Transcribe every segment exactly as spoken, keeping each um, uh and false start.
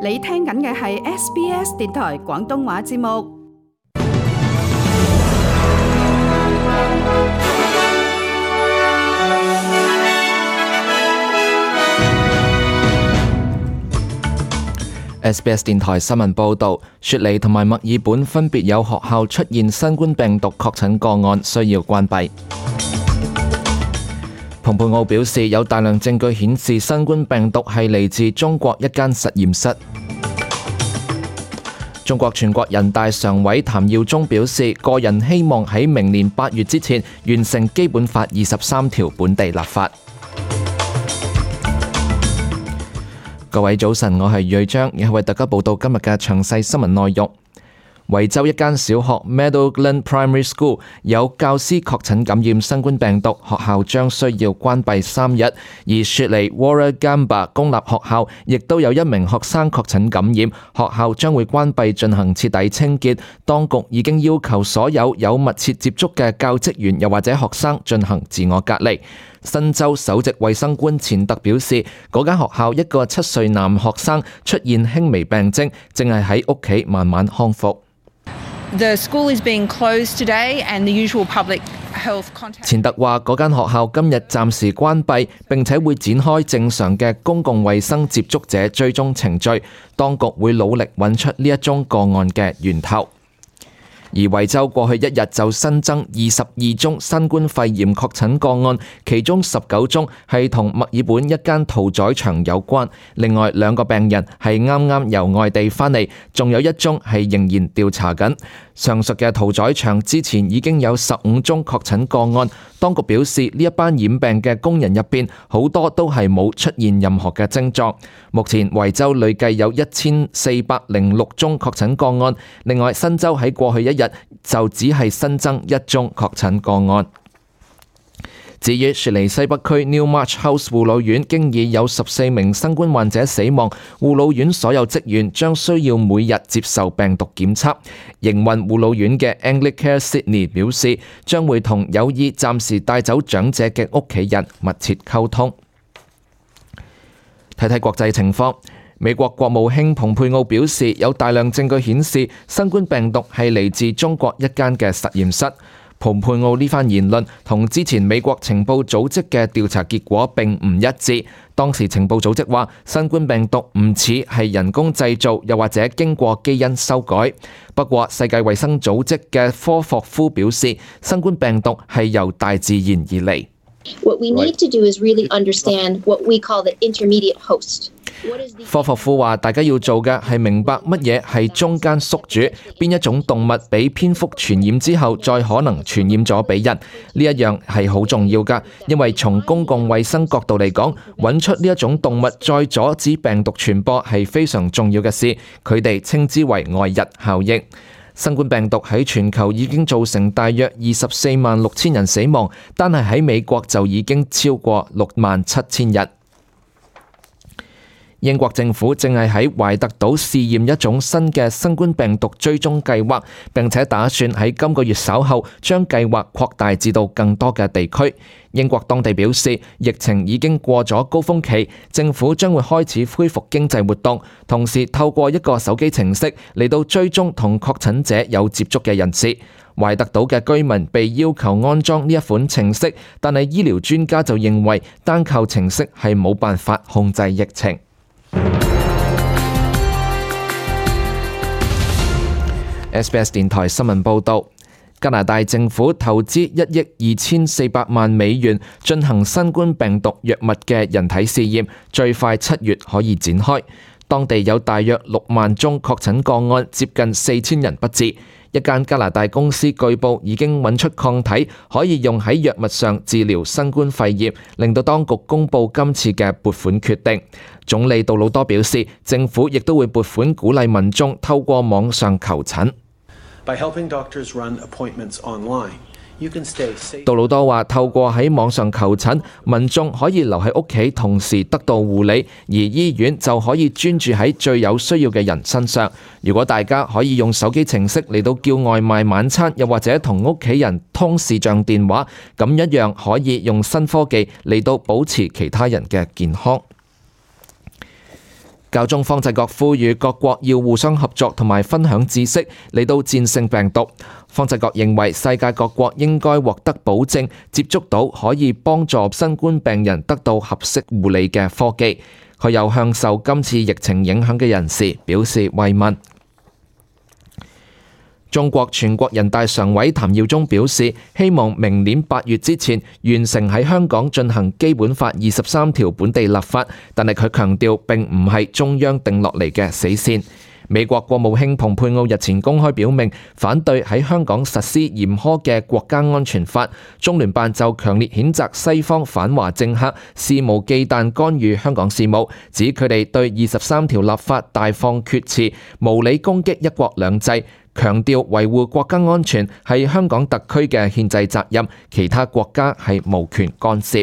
你聽緊嘅係 S B S 電台廣東話節目。S B S 電台新聞報導，雪梨同埋墨爾本分別有學校出現新冠病毒確診個案，需要關閉。蓬佩奧表示，有大量證據顯示新冠病毒係嚟自中國一間實驗室。中國全國人大常委譚耀宗表示，個人希望喺明年八月之前完成基本法二十三條本地立法。各位早晨，我係瑞章，亦係為大家報道今日嘅詳細新聞內容。維州一間小學 Meadowglen Primary School 有教師確診感染新冠病毒，學校將需要關閉三日。而雪梨 Warragamba 公立學校亦都有一名學生確診感染，學校將會關閉進行徹底清潔。當局已經要求所有有密切接觸嘅教職員又或者學生進行自我隔離。新州首席衛生官錢特表示，嗰間學校一個七歲男學生出現輕微病徵，正係喺屋企慢慢康復。The school is being closed today and the usual public health contact. 錢特話，嗰間學校今日暫時關閉，並且會展開正常嘅公共衛生接觸者追蹤程序。當局會努力揾出呢一宗個案嘅源頭。而維州過去一日就新增二十二宗新冠肺炎確診個案，其中十九宗係同墨爾本一間屠宰場有關，另外兩個病人係啱啱由外地返嚟，仲有一宗係仍然調查緊。上述嘅屠宰場之前已經有十五宗確診個案，當局表示呢一班染病嘅工人入邊好多都係冇出現任何嘅症狀。目前維州累計有一千四百零六宗確診個案，另外新州喺過去一日就只係新增一宗確診個案。至於雪梨西北區 Newmarch House 護老院，經已有十四名新冠患者死亡，護老院所有職員將需要每日接受病毒檢測。營運護老院嘅 Anglicare Sydney 表示，將會同有意暫時帶走長者嘅屋企人密切溝通。睇睇國際情況。美國國務卿蓬佩奧表示，有大量證據顯示新冠病毒係嚟自中國一間嘅實驗室。蓬佩奧呢番言論同之前美國情報組織嘅調查結果並唔一致。當時情報組織話，新冠病毒唔似係人工製造，又或者經過基因修改。不過，世界衛生組織嘅科霍夫表示，新冠病毒係由大自然而嚟。What we need to do is really understand what we call the intermediate host. 科霍夫話：大家要做嘅係明白乜嘢係中間宿主，邊一種動物俾蝙蝠傳染之後，再可能傳染咗俾人。呢一樣係好重要㗎，因為從公共衛生角度嚟講，揾出呢一種動物再阻止病毒傳播係非常重要嘅事。佢哋稱之為外溢效應。新冠病毒喺全球已經造成大約二十四萬六千人死亡，單係喺美國就已經超過六萬七千人。英國政府正係喺懷特島試驗一種新嘅新冠病毒追蹤計劃，並且打算喺今個月稍後將計劃擴大至到更多嘅地區。英國當地表示，疫情已經過咗高峰期，政府將會開始恢復經濟活動，同時透過一個手機程式嚟到追蹤同確診者有接觸嘅人士。懷特島嘅居民被要求安裝呢一款程式，但係醫療專家就認為單靠程式係冇辦法控制疫情。S B S 電台新聞報導，加拿大政府投資一億二千四百萬美元進行新冠病毒藥物嘅人體試驗，最快七月可以展開。當地有大約六萬宗確診個案，接近四千人不治。一間加拿大公司據報已經揾出抗體，可以用喺藥物上治療新冠肺炎，令到當局公佈今次嘅撥款決定。總理杜魯多表示，政府亦都會撥款鼓勵民眾透過網上求診。By helping doctors run appointments online, you can stay safe. 杜魯多話：透過喺網上求診，民眾可以留喺屋企，同時得到護理，而醫院就可以專注喺最有需要嘅人身上。如果大家可以用手機程式嚟到叫外賣晚餐，又或者同屋企人通視像電話，咁一樣可以用新科技嚟到保持其他人嘅健康。教宗方濟各呼籲各國要互相合作同埋分享知識嚟到戰勝病毒。方濟各認為世界各國應該獲得保證，接觸到可以幫助新冠病人得到合適護理嘅科技。佢又向受今次疫情影響嘅人士表示慰問。中國全國人大常委譚耀宗表示，希望明年八月之前完成喺香港進行基本法二十三條本地立法，但係佢強調並唔係中央定落嚟嘅死線。美國國務卿蓬佩奧日前公開表明反對喺香港實施嚴苛嘅國家安全法，中聯辦就強烈譴責西方反華政客肆無忌憚干預香港事務，指佢哋對二十三條立法大放厥詞，無理攻擊一國兩制，強調維護國家安全係香港特區嘅憲制責任，其他國家係無權干涉。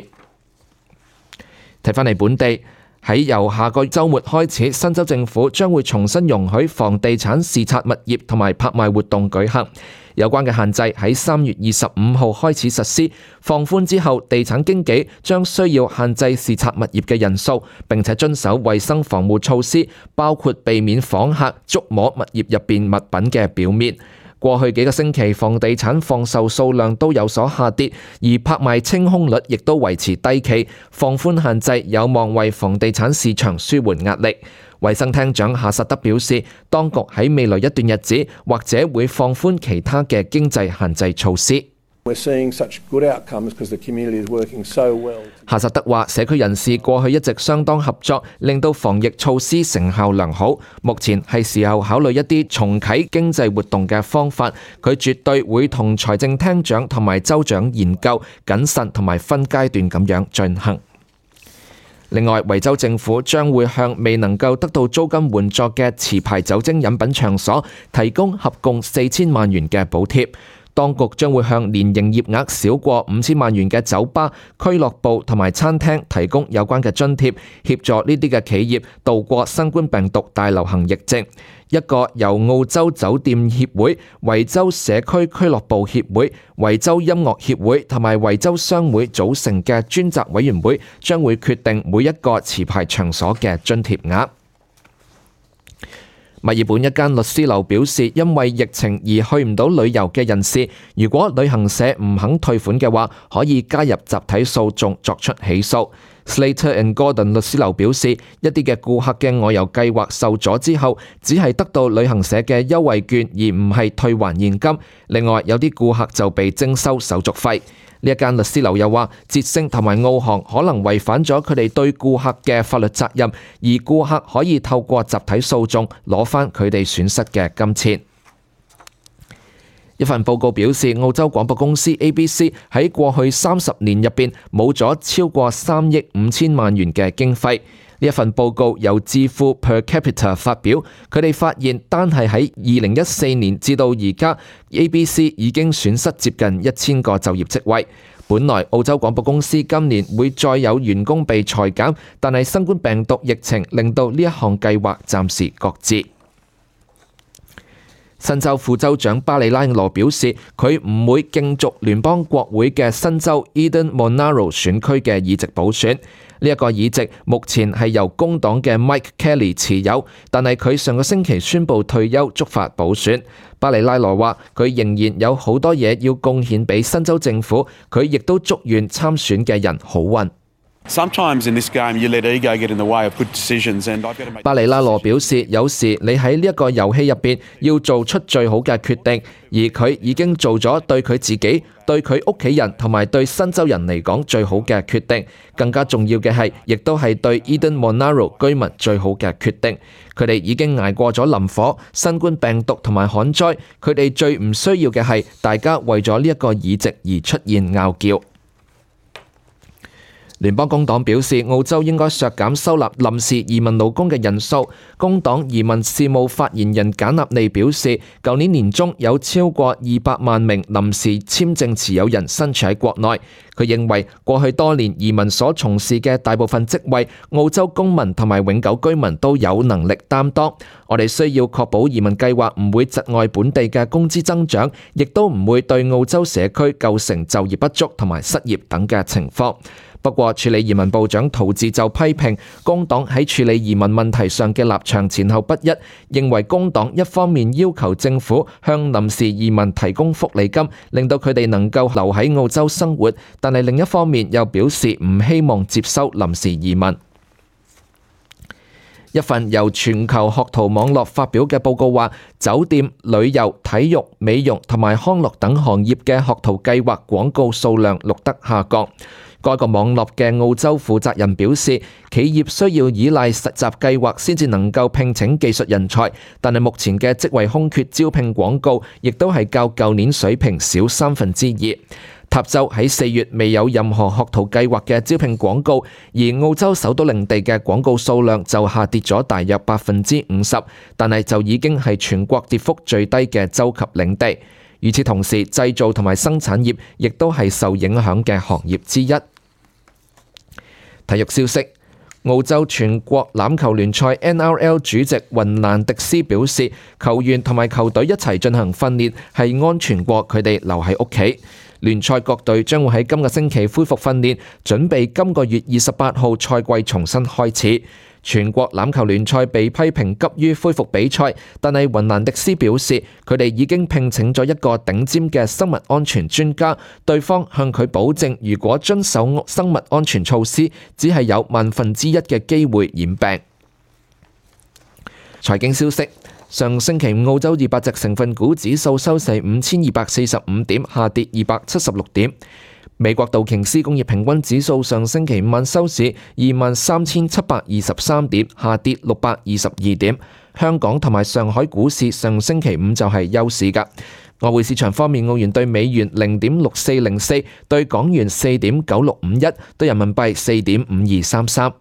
睇返嚟本地。喺由下個週末開始，新州政府將會重新容許房地產視察物業同埋拍賣活動舉行。有關嘅限制喺三月二十五號開始實施，放寬之後，地產經紀將需要限制視察物業嘅人數，並且遵守衛生防護措施，包括避免訪客觸摸物業入邊物品嘅表面。過去幾個星期，房地產放售數量都有所下跌，而拍賣清空率亦都維持低企。放寬限制有望為房地產市場舒緩壓力。衛生廳長夏薩德表示，當局喺未來一段日子或者會放寬其他嘅經濟限制措施。夏薩德話：社區人士過去一直相當合作，令到防疫措施成效良好。目前係時候考慮一啲重啟經濟活動嘅方法。佢絕對會同財政廳長同埋州長研究，謹慎同埋分階段咁樣進行。另外，維州政府將會向未能夠得到租金援助嘅持牌酒精飲品場所提供合共四千萬元嘅補貼。當局將會向年營業額少過五千萬元嘅酒吧、俱樂部同埋餐廳提供有關嘅津貼，協助呢啲嘅企業度過新冠病毒大流行疫症。一個由澳洲酒店協會、維州社區俱樂部協會、維州音樂協會同埋維州商會組成嘅專責委員會，將會決定每一個持牌場所嘅津貼額。墨爾本一間律師樓表示，因為疫情而去唔到旅遊嘅人士，如果旅行社唔肯退款嘅話，可以加入集體訴訟作出起訴。Slater and Gordon 律師樓表示，一啲嘅顧客嘅外遊計劃受阻之後，只係得到旅行社嘅優惠券，而唔係退還現金。另外，有啲顧客就被徵收手續費。呢一間律師樓又話，捷星同埋澳航可能違反咗佢哋對顧客嘅法律責任，而顧客可以透過集體訴訟攞返佢哋損失嘅金錢。一份報告表示，澳洲廣播公司 A B C 喺過去三十年入邊冇咗超過三億五千萬元嘅經費。呢一份報告由智庫 Per Capita 發表，佢哋發現單係喺二零一四年至到而家 ，A B C 已經損失接近一千個就業職位。本來澳洲廣播公司今年會再有員工被裁減，但係新冠病毒疫情令到呢一項計劃暫時擱置。新州副州長巴里拉羅表示，佢唔會競逐聯邦國會嘅新州 Eden Monaro 選區嘅議席補選。呢一個議席目前係由工黨嘅 Mike Kelly 持有，但係佢上個星期宣布退休，觸發補選。巴里拉羅話：佢仍然有好多嘢要貢獻俾新州政府，佢亦都祝願參選嘅人好運。巴里拉羅表示，有時你喺呢一個遊戲入邊要做出最好嘅決定，而佢已經做咗對佢自己、對佢屋企人同埋對新州人嚟講最好嘅決定。更加重要嘅係，亦都係對 Eden Monaro 居民最好嘅決定。佢哋已經捱過咗林火、新冠病毒同埋旱災，佢哋最唔需要嘅係大家為咗呢一個議席而出現拗撬。聯邦工黨表示，澳洲應該削減收納臨時移民勞工嘅人數。工黨移民事務發言人簡納利表示，舊年年中有超過二百萬名臨時簽證持有人身處喺國內。佢認為過去多年移民所從事嘅大部分職位，澳洲公民同埋永久居民都有能力擔當。我哋需要確保移民計劃唔會窒礙本地嘅工資增長，亦都唔會對澳洲社區構成就業不足同埋失業等嘅情況。不過，處理移民部長陶治就批評工黨喺處理移民問題上嘅立場前後不一，認為工黨一方面要求政府向臨時移民提供福利金，令到佢哋能夠留喺澳洲生活，但係另一方面又表示唔希望接收臨時移民。一份由全球學徒網絡發表嘅報告話，酒店、旅遊、體育、美容同埋康樂等行業嘅學徒計劃廣告數量錄得下降。該個網絡嘅澳洲負責人表示，企業需要依賴實習計劃先至能夠聘請技術人才，但係目前嘅職位空缺招聘廣告亦都係較舊年水平少三分之二。塔州喺四月未有任何學徒計劃嘅招聘廣告，而澳洲首都領地嘅廣告數量就下跌咗大約百分之五十，但係就已經係全國跌幅最低嘅州及領地。與此同時，製造同埋生產業亦都係受影響嘅行業之一。體育消息，澳洲全國欖球聯賽 N R L 主席雲蘭迪斯表示，球員同埋球隊一齊進行訓練係安全過佢哋留喺屋企。聯賽各隊將會喺今個星期恢復訓練，準備今個月二十八號賽季重新開始。全國欖球聯賽被批評急於恢復比賽，但係雲蘭迪斯表示，佢哋已經聘請咗一個頂尖嘅生物安全專家，對方向佢保證，如果遵守生物安全措施，只係有萬分之一嘅機會染病。財經消息。上星期五澳洲二百隻成分股指數收市五千二百四十五點，下跌二百七十六點。美國道瓊斯工業平均指數上星期五晚收市二萬三千七百二十三點，下跌六百二十二點。香港同埋上海股市上星期五就係休市㗎。外匯市場方面，澳元對美元零點六四零四，對港元四點九六五一，對人民幣四點五二三三。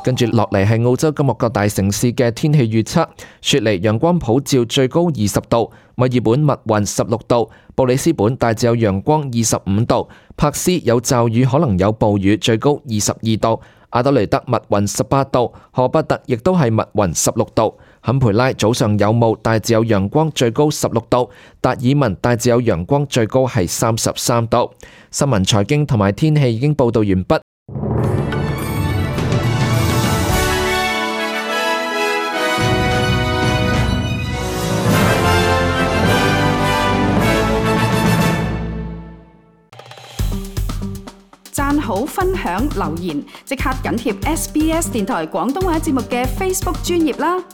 跟住落嚟係澳洲今日各大城市嘅天氣預測。雪梨陽光普照，最高二十度；墨爾本密雲十六度；布里斯本大致有陽光二十五度；柏斯有驟雨可能有暴雨，最高二十二度；阿德雷德密雲十八度；荷伯特亦都係密雲十六度；坎培拉早上有霧，大致有陽光，最高十六度；達爾文大致有陽光，最高係三十三度。新聞、財經同埋天氣已經報道完畢。讚好、分享、留言，即刻緊貼 S B S 電台廣東話節目嘅 Facebook 專頁啦！